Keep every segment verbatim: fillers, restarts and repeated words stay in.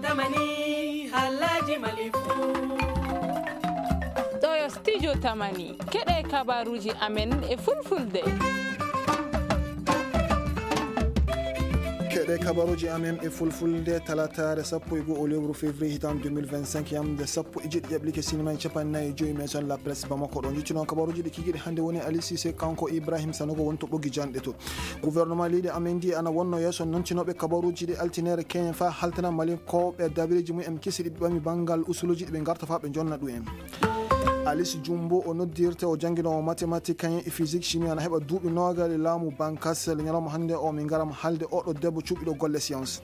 Tamani, halaji malifu. Ɗo yo studio Tamani. Keɗe kabaruji amen e fulfulde. Keɗe kabaruji amen e fulfulde, talataare sappo e goo o lewru février hitan deux mille vingt-cinq, yamde sappo e jeɗɗi jaɓlike sinima e capanɗe nayi e joyi maison la presse Bamako. Ɗo jiccuno kabaruji ɗi kikiɗe hannde woni Ali Cissé, kanko Ibrahim Sanogo woni to ɓoggi janɗe to. Gouvernement leydi amen ndi ana wonno yeeso nantinooɓe kabaruuji ɗi altine keñen faa haltana malinkooɓe dabareeji mumen kesi ɗi ɓe ɓami banngal usuluuji ɗi ɓe ngarta faa ɓe njonna ɗum en. Alice Jumbo o noddirte, o jannginoowo mathématique kañum e physique chimie, ana heɓa duuɓi noogaas e laamu Bankas. Le ñalawma hannde o min ngaram haalde oɗo debbo cuɓiɗo golle science.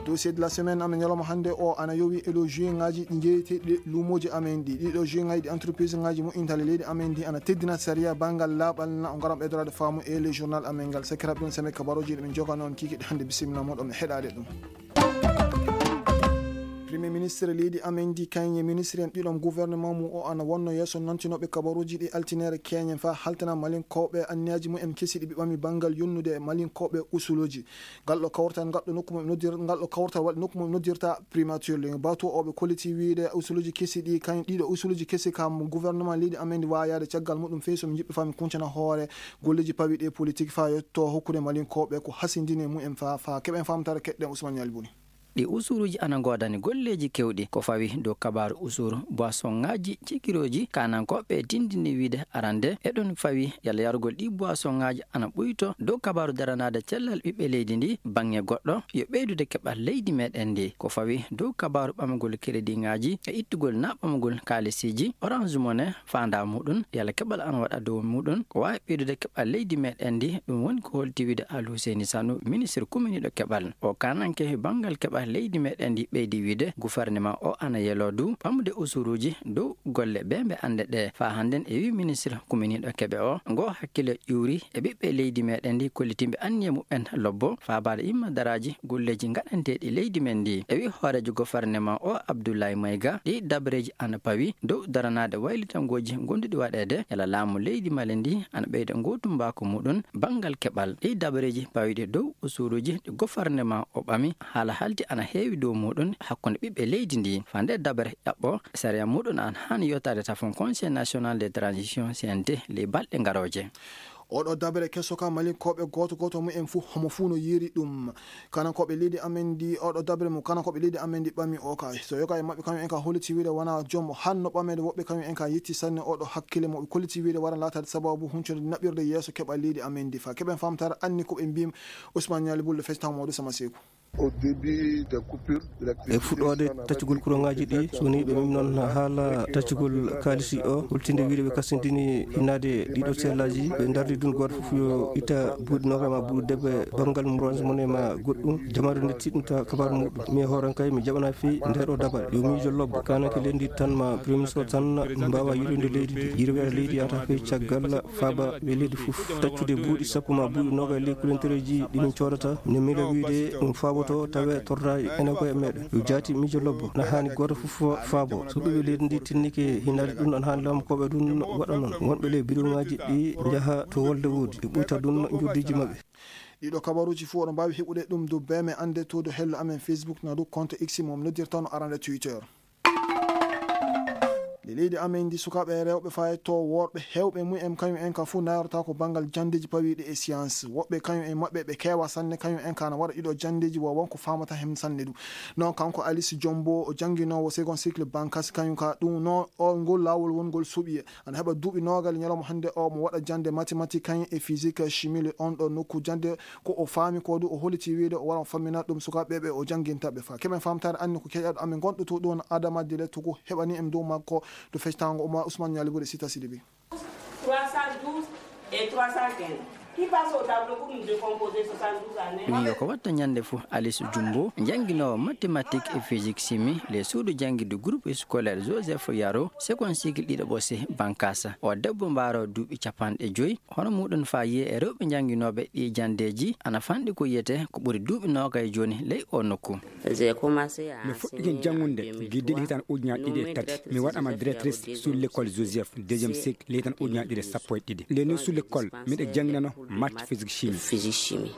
Dossier de la semaine amen ñalawma hannde o ana yowi e ɗo juin ŋaaji ɗi jeeyeteeɗi luumooji amen ɗi, ɗiɗo juin ŋaaji ɗi entreprise ŋaaji moƴƴintaale leydi amen ndi ana teddina sariya banngal laaɓal na o ngaram ɓeydoraade faamu e le journal amen ngal. Sakiraaɓe ɗum seme kabaruuji ɗi min jogano on kikiɗe hannde, bisimilla moɗon e heɗaade ɗum. Premier ministre leydi amen ndi kañum e ministre en ɗiɗon gouvernement mum o ana wonno yeeso nantinooɓe kabaruuji ɗi altine keñen faa haltana malinkooɓe anniyaaji mumen kesi ɗi ɓe ɓami banngal yonnude malinkooɓe usuluuji. Ngal ɗo kawtal, ngal ɗo nokku mo ɓe noddir-, ngal ɗo kawtal waɗi nokku mo ɓe noddirta primature le. Bato o ɓe kolliti wiyde usuluuji kesi ɗi, kañ ɗiɗo usuluuji kesi kam gouvernement leydi amen ndi waawi yaade caggal muɗum fey so mi jiɓɓi faa mi kuncana hoore golleeji pawiiɗi e politique faa yetto hokkude malinkooɓe ko hasindini e mumen faa, faa keɓen faamtaare keɗɗen Ousmane Ñaali Buni. Ɗi usuruuji ana ngoodani golleeji keewɗi ko fawi dow kabaaru usuru boisonŋaaji cikirooji. Kaanankooɓe tindini wiyde arande eɗon fawi yalla yarugol ɗi boisonŋaaji ana ɓuyto dow kabaaru daranaade cellal ɓiɓɓe leydi ndi. Baŋŋe goɗɗo yo ɓeydude keɓal leydi meɗen ndi ko fawi dow kabaaru ɓamagol kerediŋaaji e ittugol na ɓamagol kaalisiiji Orange Money. Faandaa muɗum yalla keɓal ana waɗa dow muɗum ko waawi ɓeydude keɓal leydi meɗen ndi. Ɗum woni ko holti wiyde Al Huseyni Sanu, ministre kuminiiɗo keɓal. O kaananke banngal keɓal leydi meɗen ndi ɓeydi wiyde gouvernement o ana yeloo du ɓamude usuruuji dow golle ɓe ɓe annde ɗe. Faa hannden e wii ministre kuminiiɗo keɓe o, ngo hakkille ƴuuri e ɓiɓɓe leydi meɗen ndi kollitiiɓe anniye muɓɓen lobbo faabaade imma daraaji golleeji ngaɗanteeɗi leydi men ndi. E wii hooreejo gouvernement o Abdoulaye Maïga, ɗi dabareeji ana pawi dow daranaade waylitangooji ngonduɗi waɗeede yalla laamu leydi Mali ndi ana ɓeyda ngootumbaako muɗum banngal keɓal. Ɗi dabareeji pawiiɗi dow usuruuji ɗi gouvernement o ɓami haala halti ana heewi dow muɗum hakkunde ɓiɓɓe leydi ndi. Faa nde dabare ƴaɓɓo, sariya muɗum ana haani yottaade tafon Conseil National de Transition, C N T, ley balɗe ngarooje. Oɗo dabere keso ka malinkooɓe gooto gooto mumen fuu, homo fuu no yiiri ɗum. Kanankooɓe leydi amen ndi, oɗo dabere mo kanankooɓe leydi amen ndi ɓami o ka. So yoga e maɓɓe kañum en ka holliti wiyde wonaa joom hanno ɓameede woɓɓe kañum en ka yetti sanne oɗo hakkille mo ɓe kolliti wiyde wara laataade sababu huncude naɓirde yeeso keɓal leydi amen ndi. Faa keɓen faamtaare anni ko ɓe mbiim Ousmane Ñaali Bullo fecci taw Mamadou Sama Seeku. Au début des coupures d'électricité, e fuɗɗoode taccugol kuraŋaaji ɗi, so wonii ɓe mem noon haala taccugol kaalisi o, holtinde wiyde ɓe kasintini hinnaade ɗiɗo seelaaji, ɓe ndardi ɗum gooto fof yo itta buuɗi noogaas ma buuɗi debbe banngal mum Orange Money ma goɗɗum, jamaare nde tiɗnata kabaaru muɗum. Mi e hoore am kay mi jaɓana fii nde ɗo dabare. Yo miijo lobbo, kaananke leydi tan ma Premier Ministre o tan mbaawa yiɗoyde leydi ndi. Yirweere leydi yahata fey caggal faaba ɓe leydi fof. Taccude buuɗi sappo ma buuɗi noogaas e ley kulantereeji ɗi min coodata, ne miila wiyde ɗum faaboto tawe torraay enen koye meɗen. Yo jaati miijo lobbo, na haani gooto fof faabo. So ɓiɓɓe leydi ndi tinnike hinnaade ɗum, ana haani laamukooɓe ɗum waɗa noon. Wonɓe ley biroŋaaji ɗi njaha to wolde woodi, ɓe ɓuyta ɗum njuuɗiiji maɓɓe. Ɗiɗo kabaruuji fof oɗon mbaawi heɓude ɗum dow B M Annde to dow hello amen Facebook na dow compte X mo mi noddirta no arande Twitter. Nde leydi amen ndi sukaaɓe rewɓe fayto worɓe heewɓe mum en kañum en ka fof nayorta ko banngal janndeeji pawiiɗi e science. Woɓɓe kañum en maɓɓe ɓe keewa sanne kañum en ka na waɗa ɗiɗo janndeeji wo wonko faamata heen sanne ɗum. Noon kanko Alice Jombo o jannginoowo second cycle Bankas kañum ka ɗum noon o ngol laawol wongol suɓi ana heɓa duuɓi noogaas ñalawma hannde o mo waɗa jannde mathématique kañum e physique chimie le on ɗo nokku jannde ko o faami ko du o holliti wiyde o wara o fammina ɗum sukaaɓe ɓe o jannginta ɓe fa keɓen faamtaare anni ko keƴaɗo amen gonɗo to ɗum Adama Dile Tugu heɓani en dow makko to fectango Oumar Ousmane Ñaali Bode Sita Sidibé. Trois cent douze et trois cent quinze. Qui passe au tableau pour nous décomposer soixante-douze en un. Ɗum yo ko watta ñande fof Alice Jumbo jannginoowo mathématique et physique chimie le suudu janngirde groupe scolaire Joseph Yaro second cycle ɗiɗo ɓose Bankasa. O debbo mbaaro duuɓi capanɗe joyi. Hono muɗum faa yiye e rewɓe jannginooɓe ɗii janndeeji ana fanɗi ko yiyetee ko ɓuri duuɓi noogay jooni ley oo nokku. Mi fuɗɗike janngude gila hitaan ujunaaji ɗiɗi e tati. Mi waɗaama directrice sous l'école Joseph, deuxième cycle, ley hitaan ujunaaji ɗiɗi e sappo e ɗiɗi. Nde ni sous l'école, miɗo jannginano maths, physique, chimie.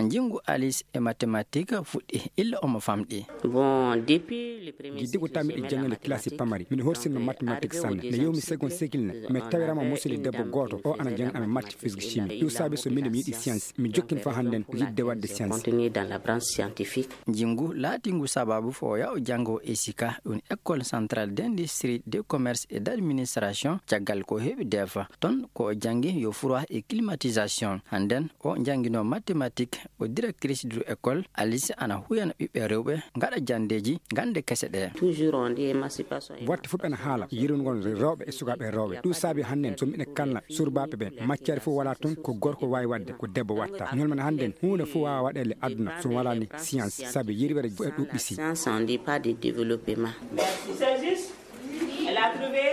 Njinngu Alice e mathématique fuɗɗi illa omo famɗi. Bon, depuis le premier Giddi ko cycle, tammi j'ai ɗi aimé la jangande classe mathématique. Pamari. Miɗo horsino Donc, mathématique arrivé au sanne. Ne deuxième yewmi second cycle, cycle ne. Mi tawirama euh, musidɗo une debbo dame gooto, qui o ana faisait jangana la mi matière, mathématique physique, et chimie. Là, Ɗum il a saabi so miɗo mi yiɗi science. Mi donc jokkini fa hannden, réussi yiɗde dans waɗde la science. Continue dans la branche scientifique. Njinngu laatingu sababu fo yaw janngo e sika ɗum École Centrale d'Industrie, de Commerce et d'Administration, caggal ko heɓi defa. Ton ko o janngi yo froid et climatisation. Hannden o janngino mathématique, o directrice du école. Alice ana huyana ɓiɓɓe rewɓe ngaɗa janndeeji gannde kese ɗe. Toujours on dit émancipation. Watte fof ɓena haala yirwingol rewɓe e sukaaɓe rewɓe. Ɗum saabi hannden so miɗen kalna surbaaɓe ɓe, matière fof wala toon ko gorko waawi waɗde, ko debbo watta. Ñolmen hannden huunde fof waawa waɗeede aduna so walaani science, sabi yirwere e ɗuɓɓi si. Science, on dit pas de développement.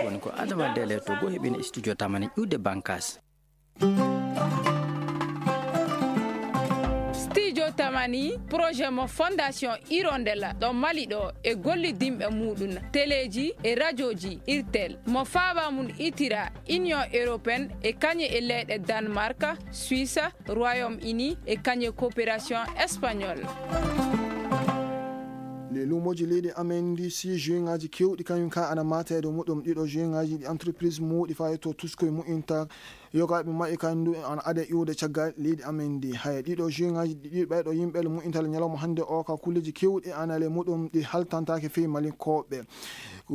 Woni ko Adama Dele to Go heɓino studio Tamani ƴuwde Bankas. Studio Tamani, projet mo Fondation Hirondelle ɗo Mali ɗo e gollidinɓe muɗum, teleeji e rajooji Irtel, mo faaba mum itira Union Européenne e kañe e leyɗe Danemark, Suisse, Royaume-Uni e kañe coopération espagnole. Le luumoji leydi amen ndi si juingaji kewɗi kañum ka ana mata e dow muɗum. Ɗiɗo juingaji ɗi entreprise muɗi fayi to tuskoy mu'inta yogaaɓe maɓɓe kandu ana ade iwde caggal leydi amen ndi. Haya ɗiɗo juingaji ɗi ɓayɗo yimɓe le mu'intal ñalawma hannde o ka kulleji kewɗi ana le muɗum ɗi haltantake fey malinkoɓe.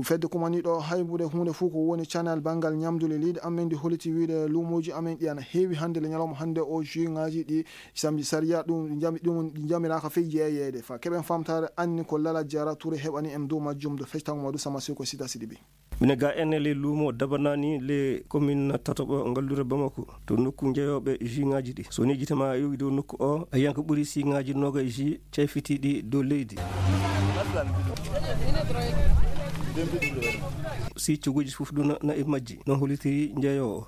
Fedde kumaniɗo haybude huunde fof ko woni canal banngal ñamdu le leydi amen ndi holliti wiide luumoji amen ɗi ana heewi hannde le ñalawma hannde o juingaji ɗi samedi sariya ɗum jami ɗum jamiraka fey jeeyeede fa keɓen famtare anni ko Lala Jara Touré heɓani en dow majjum do fectango madu sama seko sita sidibi. Mine ga ene le luumo dabanani le commune tatoɓo ngallure Bamako to nokku jeeyoɓe juingaji ɗi. So ni jitama yowi dow nokku o a yanka ɓuri singaji noga ji cayfitiɗi dow leydi. Si coguji fof ɗuna na e majji no hollitiri jeeyowo.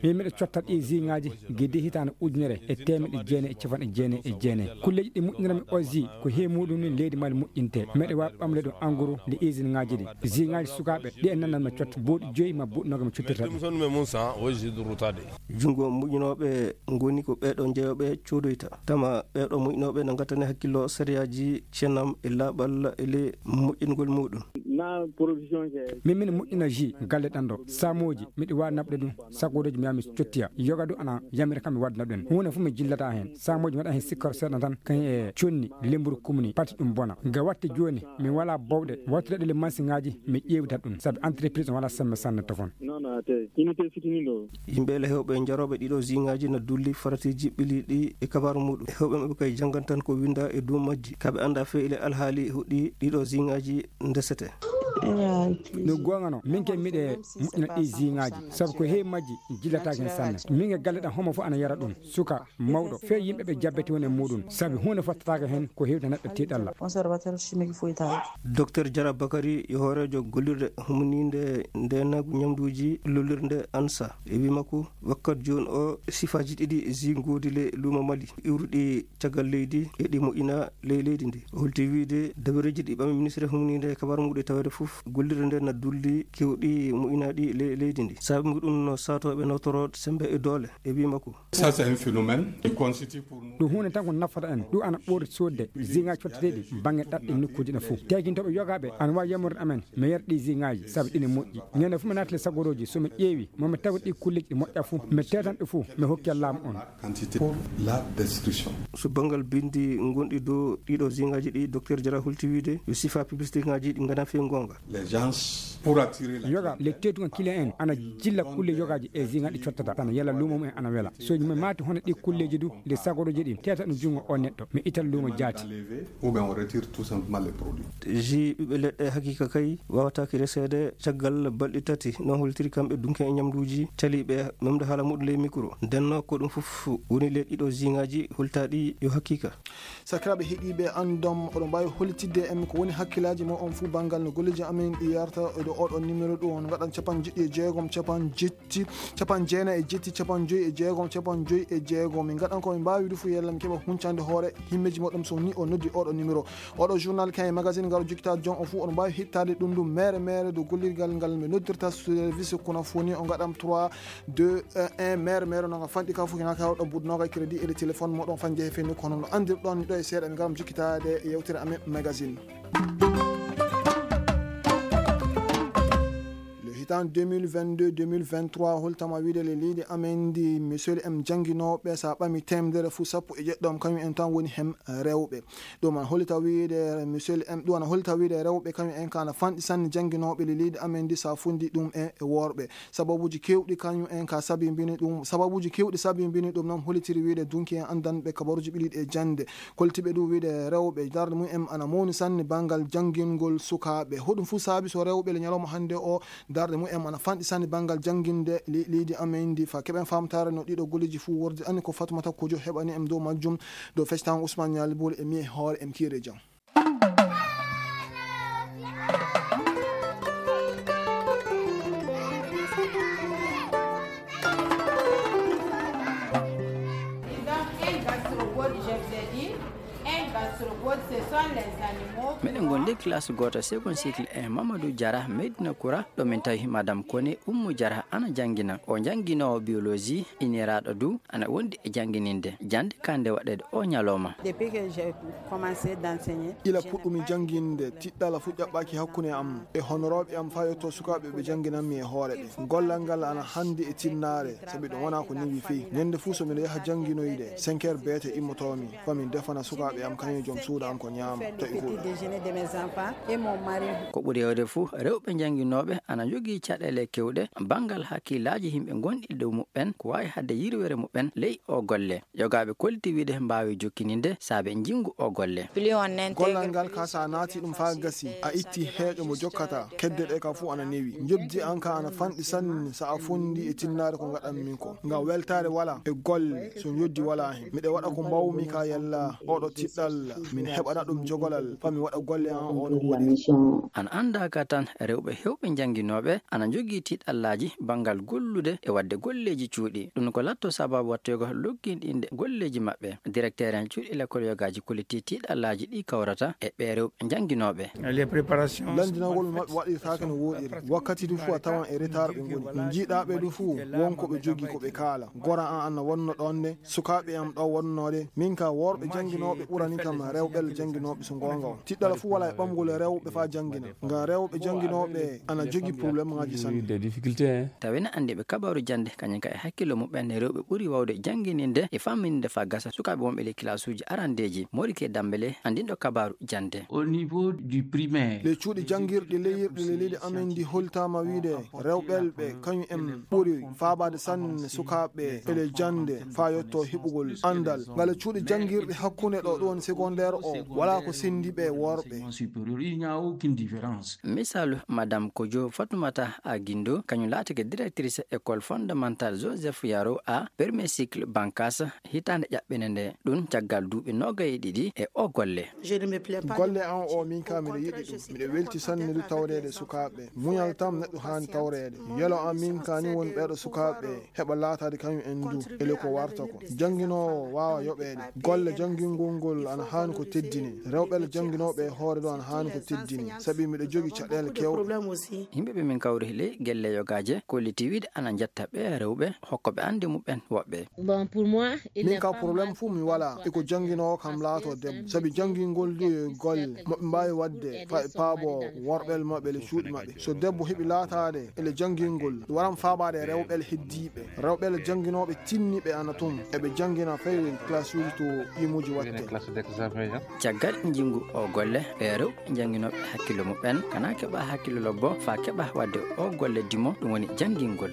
Min miɗo cotta ɗi zingaji gidi hitande ujunere e temeɗe jeenayi e capanɗe jeenayi e jeenayi. Kulleji ɗi moƴƴinirami o zi ko he muɗum ni leydi Mali moƴƴinte. Meɗe wawi ɓamle ɗum en gros nde usine ngaji ɗi. Zingaji sukaɓe ɗi e nannan mi cotta boɗi joyi ma boɗi noga mi cottirta ɗum. Jungo moƴƴinoɓe ngoni ko ɓeɗo jeeyoɓe codoyta. Tama ɓeɗo moƴƴinoɓe na gattani hakkillo sariyaji cennam e laɓal e le moƴƴingol muɗum. Min min moƴƴina ji galle ɗan ɗo samoji miɗi wawi naɓude ɗum. Sagodoji mi yami cottiya yoga du ana yamira kam mi wadda naɓuɗen hunde fof mi jillata hen samoji mi waɗa hen sikkor seeɗa tan kañum e conni lemburu kumni pati ɗum bona ga watte joni mi wala bawɗe wattude ɗele mansiŋaji mi ƴeewita ɗum sabi entreprise wala sembe sanne tofon. Yimɓe le hewɓe jaroɓe ɗiɗo zingaji na dulli faratiji ɓiliɗi e kabaru muɗum hewɓe maɓɓe kay jangan tan ko winda e dow majji kaɓe anda fe ile alhaali huɗɗi ɗiɗo zingaji ndesete. No gongano min ke miɗe moƴƴina ɗi zingaji sabu ko heewi majji jillataki hen sanne min e galle ɗam homo fof ana yara ɗum suka mawɗo fe yimɓe ɓe jabbeti woni e muɗum sabu hunde fottataka hen ko hewde neɗɗo tiɗalla. Docteur Jara Bakari yo hoorejo gollirde humninde ndenagu ñamduji lollirde ansa e wi makko wakkat joni o sifaji ɗiɗi zingodi le luuma mali iwruɗi caggal leydi e ɗi moƴƴina ley leydi ndi. O holti wiide dabareeji ɗi ɓami ministre humninde e kabar muɗe tawede fof gollirde nde na dulli kewɗi moƴƴinaɗi ley leydi ndi sabu ɗum no satoɓe nawtoro sembe e doole e wi makko. Ɗum hunde tan ko nafata en ɗum ana ɓoori sodde zinga cotteteɗi bangge ɗaɗɗe nokkuji ɗa fof tegintoɓe yogaɓe ana wawi yamorde amen mi yara ɗi zingaji saabu ɗine moƴƴi ñande fof mi naatale sagoroji somi ƴeewi momi tawa ɗi kulleji ɗi moƴƴa fof mi tetanɗe fof mi hokki laamu on. So banngal binndi ngonɗi dow ɗiɗo zingaji ɗi docteur Jara holti wiide yo sifa publicité ngaji ɗi ngana fe gonga. Yoga le tetuga kile en ana jilla kulle yogaji e zinga ɗi cottata tan yalla lumo mum en ana wela soji mum mati hono ɗi kulleji du nde sagoroji ɗi teta ɗum jungo o neɗɗo mi ital lumo jaati. Ji ɓiɓɓe leɗɗe hakika kay wawataki resede caggal balɗi tati no holtiri kamɓe dunke e ñamduji caliɓe memde haala muɗum ley micro ndenno ko ɗum fof woni le ɗiɗo zingaji holtaɗi yo hakika. Sakiraɓe heɗiɓe andom oɗon mbawi hollitidde en ko woni hakkillaji mo on fuu banngal no golle Amin ɗi yarta e ɗo oɗo numéro ɗo on ngaɗan capan jeɗɗi e jeegom, capan jetti, capan jeenayi e jetti, capan joyi e jeegom, capan joyi e jeegom. Min ngaɗan ko min mbaawi du fu yalla min keɓa huncande hoore himmeji moɗon so ni o noddi oɗo numéro. Oɗo journal kay magazine ngal jokkita jon o fu on mbaawi hittade ɗum ɗum mere mere do gollirgal ngal mi noddirta service kono foni o ngaɗam trois deux un mere mere no nga fanɗi ka fu hina ka ɗo budnoga crédit e téléphone moɗon fan jehe fenni kono no andir ɗon ɗo e seeɗa mi ngaɗam jokkitade e yewtere amen magazine. Le hitan deux mille vingt-deux deux mille vingt-trois holtama wiide le leydi amen ndi misol em jannginooɓe so a ɓami temedere fuu sappo e jeɗɗo am kañum en tan woni hem rewɓe. Ɗum ana hollita wiide misol em ɗum ana hollita wiide rewɓe kañum en ka ana fanɗi sanne jannginooɓe le leydi amen ndi so a funndi ɗum e worɓe. Sababuuji keewɗi kañum en ka sabimbini ɗum sababuuji keewɗi sabimbini ɗum noon hollitiri wiide dunki en anndanɓe kabaruuji ɓiliiɗi e jannde. Koltiiɓe ɗum wiide rewɓe darnde mum en ana mawni sanne banngal janngingol sukaaɓe hoɗum fuu saabi so rewɓe le ñalawma hannde o darnde mum en ana fanɗi sanne banngal jannginde leydi amen ndi fa keɓen faamtaare no ɗiɗo golleeji fuu wordi anni ko fatmata kojo heɓani en dow majjum. Dow fectaango ousmane ñaali booli e mi e hoore em kiire jam. Meɗen gondi classe goto second cycle e mamadou diara medina koura. Ɗo min tawi madame kone ummu diara ana jangina o janginowo biologie iniraɗo du ana wondi e jangininde jande kande waɗede o ñalawma. Depuis que j'ai commencé d'enseigner, ila puɗɗumi janginde tiɗɗala fu ƴaɓɓaki hakkunde am e honorooɓe am faa yetto sukaaɓe ɓe jannginanmi e hoore ɓe. Gollal ngal ana hanndi e tinnaare, sabi ɗum wonaa ko newi fey. Ñannde fuu so miɗo yaha jannginoyde, cinq heures beete immotoomi, faa mi defana sukaaɓe am kañum e joom suudu am ko ñaama, tawi ko. Ko ɓuri heewde fuu, rewɓe jannginooɓe ana njogii caɗeele keewɗe banngal hakkillaaji yimɓe ngonɗi e dow muɓɓen, ko waawi haɗde yirwere muɓɓen ley oo golle. Yogaaɓe kolliti wiide mbaawi jokkininde saabe njinngu oo golle. Gollal ngal ka so a naati ɗum faa gasi, a itti heeƴo mo jokkata, kedde ɗe ka fuu ana newi. Njoɓdi an ka ana fanɗi sanne so a fonndi e tinnaare ko ngaɗanmi ko. Ngam weltaare walaa e golle so njoɓdi walaa heen. Miɗo waɗa ko mbaawmi ka yalla ooɗo tiɗɗal min heɓana ɗum jogolal faa mi waɗa golle an oo no woodi. Ana anndaa ka tan rewɓe heewɓe jannginooɓe ana njogii tiɗɗallaaji banngal gollude e waɗde golleeji cuuɗi. Ɗum ko latto sababu wattoygo logginɗinde golleeji maɓɓe. Directeur en cuuɗi lekkol yogaaji kolliti tiɗɗallaaji ɗi kawrata e ɓee rewɓe jannginooɓe. Lanndinagol maɓɓe waɗirtaake no wooɗiri. Wakkati du fuu a tawan e retard ɓe ngoni. No njiiɗaa ɓe du fuu won ko ɓe jogii ko ɓe kaala. Gora an ana wonno ɗoon ne, sukaaɓe am ɗo wonnoode. Min ka worɓe jannginooɓe ɓurani kam rewɓe jannginooɓe so ngoonga on. Tiɗɗal fuu walaa e ɓamgol rewɓe faa janngina. Ngam rewɓe jannginooɓe ana jogii problème ngaaji sanne. Tawi na anndiiɓe kabaaru jannde kañum ka e hakkillo muɓɓen rewɓe ɓuri waawde janngininde e fammininde faa gasa sukaaɓe wonɓe ley kilaasuuji arandeeji. Morike Dambele anndinɗo kabaaru jannde. Ley cuuɗi janngirɗi leyirɗi ley leydi amen ndi holtaama wiide rewɓelɓe kañum en ɓuri faabaade sanne sukaaɓe e ley jannde faa yotto heɓugol anndal. Ngale cuuɗi janngirɗi hakkunde ɗo ɗum woni secondaire o walaa ko senndi ɓe worɓe. Misaalu madame kojo fatumata a gindo kañum laatike directrice école fondamentale joseph yaro a premier cycle bankas hitaande ƴaɓɓinde nde. Ɗum caggal duuɓi noogay e ɗiɗi e o golle. Golle an o min ka miɗo yiɗi ɗum. Miɗo welti sanne du tawreede sukaaɓe. Muñal tam neɗɗo haani tawreede. Yelo an min ka ni woni ɓeeɗo sukaaɓe heɓa laataade kañum en du ele ko warta ko. Jannginoowo waawa yoɓeede. Golle janngingol ngol ana haani ko teddine. Rewɓe le jannginooɓe e hoore du ana haani ko teddine. Sabi miɗo jogi caɗeele kewɗe. Yimɓe ɓe min kawri ley gelle yogaaje kolliti wiide ana njetta ɓe rewɓe hokkoɓe annde muɓɓen woɓɓe. Min ka problème fuu mi walaa e ko jannginoowo kam laato debbo. Sabi janngingol du e golle moɓe mbaawi waɗde faa e paabo worɓel maɓɓe le cuuɗi maɓɓe. So debbo heɓi laataade ele janngingol waran faabaade rewɓel heddiiɓe. Rewɓel jannginooɓe tinniɓe ana tun eɓe janngina fay classe uji to yimuji watte. Caggal njinngu o golle ɓe rewɓe jannginooɓe hakkillo muɓɓen kana keɓa hakkillo lobbo faa keɓa waɗde o golle dimo ɗum woni janngingol.